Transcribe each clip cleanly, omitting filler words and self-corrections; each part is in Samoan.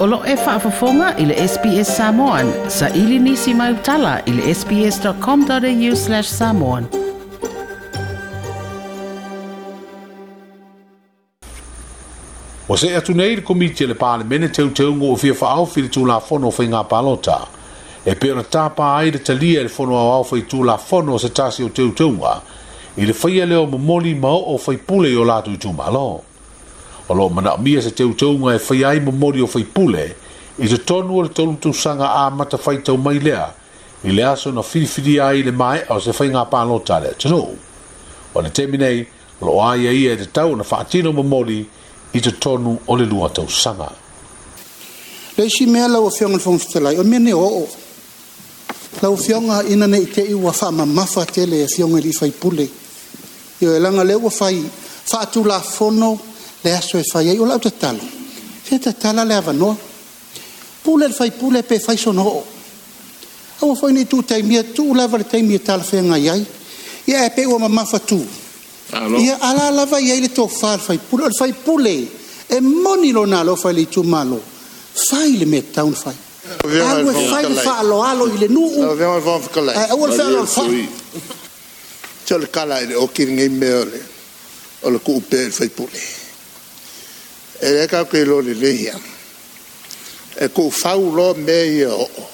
O lo o e faafofoga i le SBS Samoan. Saili nisi mai tala i le sbs.com.au/samoan. Ua see atu nei le Komiti a le Palemene teuteuga ua fia faaofi i le Tulafono o Faiga Palota e pei ona tapa ai le talia e le Fono Aoao Faitulafono o se tasi o teuteuga i le faia lea o momoli ma oo o faipule i o latou itumalo. O lo o manaomia se teuteuga e faia ai momoli o faipule i totonu o le tolu tausaga amata faitau mai lea i le aso na filifilia ai i le maea o se faiga palota a le atunuu. O le taimi nei, o lo o aiaia e tatau ona faatino momoli i totonu o le lua tausaga. Le isi mea lau Afioga i le Fofoga Fetalai, o le mea lenei o oo. Lau Afioga ina ne i te i ua faamamafa tele e Afioga i alii faipule. Ioe, leaga o lea ua fai faatulafono le aso e fai ai. O lau tatalo, se tatala le avanoa. Pule le faipule pe fai sona oo. Aua foi ne i tuu taimia, tuu lava le taimi e talafeagai ai. Ia ae pei ua mamafatu. Ia a la lava e i ai le tofa a le faipule. O le faipule e moni lona alofa i le itumalo, fai le mea e tatau ona fai. Alu e fai le faaaloalo i le nuu, ae aua le fealoalofa'i. Se o le tala lava i le oti lenei mea o le tuu pea i le faipule. E lea tatou te iloa lelei lava, e tuufau loa mea ia o oo,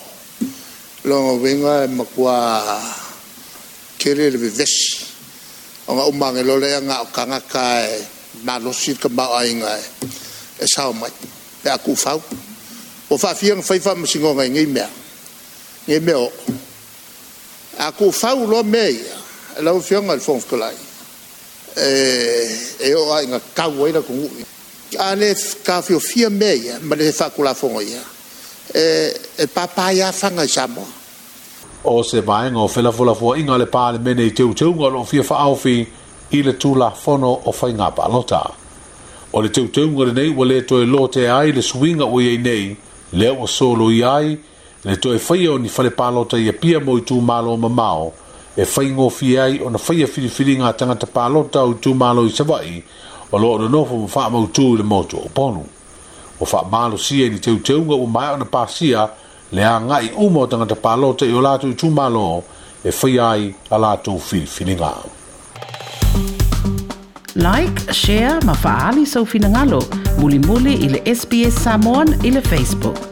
lona uiga e matua tele le vevesi, ona uma ane loa lea na o tagata lava e malosi le tamaoaiga e sao mai pe a tuufau. Ua faafia ona fai faamasinoga i nei mea o oo? A tuufau loa mea ia, lau Afioga i le Fofoga Fetalai, e oo lava ina tau ai le atunuu. A le taofiofia mea ia ma le faatulafonoina, e papa ai lava fana i Samoa. O se vaega o felafolafoaiga a le Palemene i teuteuga o lo o fia faaofi i le Tulafono o Faiga Palota. O le teuteuga lenei ua le toe lotea ai le suiga ua i ai nei, lea ua soloia ai le toe faia o ni fale palota i Apia mo itumalo mamao e faigofie ai ona faia filifiliga a tagata palota o itumalo i Savaii o lo o nonofo ma faamautu i le motu o Upolu. Ua faamalosia i ni teuteuga ua maea ona pasia le agai uma o tagata palota i o latou itumalo e faia ai a latou filifiliga. Like, share ma faaali sou finagalo. Mulimuli i le SBS Samoan i le Facebook.